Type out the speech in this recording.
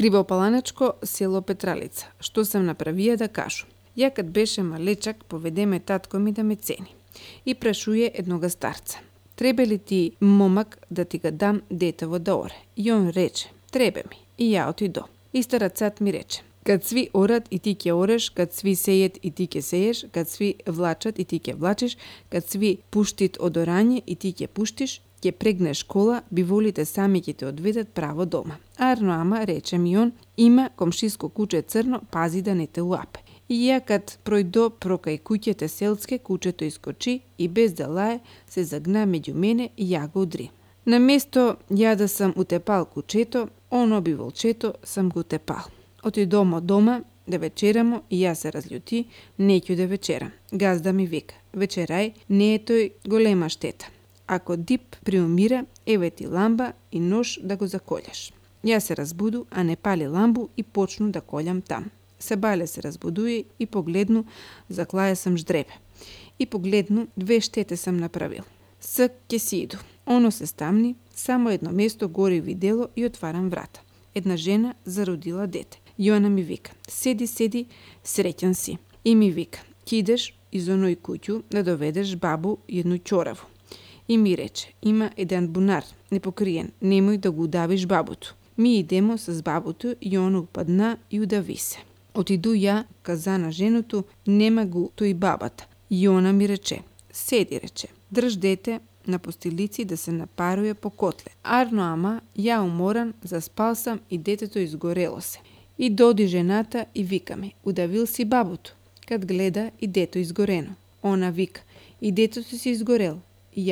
Кривопаланечко, село Петралица. Што сам направија да кажу. Ја кад беше малечак, поведеме татко ми да ме цени. И прашуе еднога старца. Требе ли ти момак да ти ga дам детево да оре? И он рече, требе ми. И ја отидо. И старецот ми рече, кад сви орат и ти ќе ореш, кад сви сејет и ти ќе сееш, кад сви влачат и ти ќе влачиш, кад сви пуштит од орање и ти ќе пуштиш, ќе прегнеш кола, биволите сами ќе те одведат право дома. Арно ама, рече ми он, има комшиско куче црно, пази да не те уапе. И ја кад пројдо прокај куќете селске, кучето искочи и без да лае се загна меѓу мене и ја го удри. На место ја да сам утепал кучето, оно би волчето сам го утепал. Отидомо дома да вечерамо и ја се разљути, неќу да вечерам. Газда ми вика, вечерај, не е тој голема штета. Ако дип приумира, еве ти ламба и нож да го заколјаш. Ја се разбуду, а не пали ламбу и почну да колјам там. Себале се разбудуи и погледну, заклаја сам ждребе. И погледну, 2 штете сам направил. Ск ќе си иду. Оно се стамни, само едно место гори видело и отварам врата. Една жена зародила дете. И она ми вика, седи, среќан си. И ми вика, ќе идеш из оној куќу да доведеш бабу едну ќораву. И ми рече, има еден бунар, непокриен, немој да го удавиш бабуто. Ми идемо с бабуто и оно упадна и удави се. Отиду ја, каза на женото, нема го тој бабата. И она ми рече, седи, рече, држ дете на постилици да се напаруе по котле. Арно ама, ја уморан, заспал сам и детето изгорело се. И доди жената и вика ми, удавил си бабуто. Кад гледа и дето изгорено. Она вика, и детето си изгорел. И јас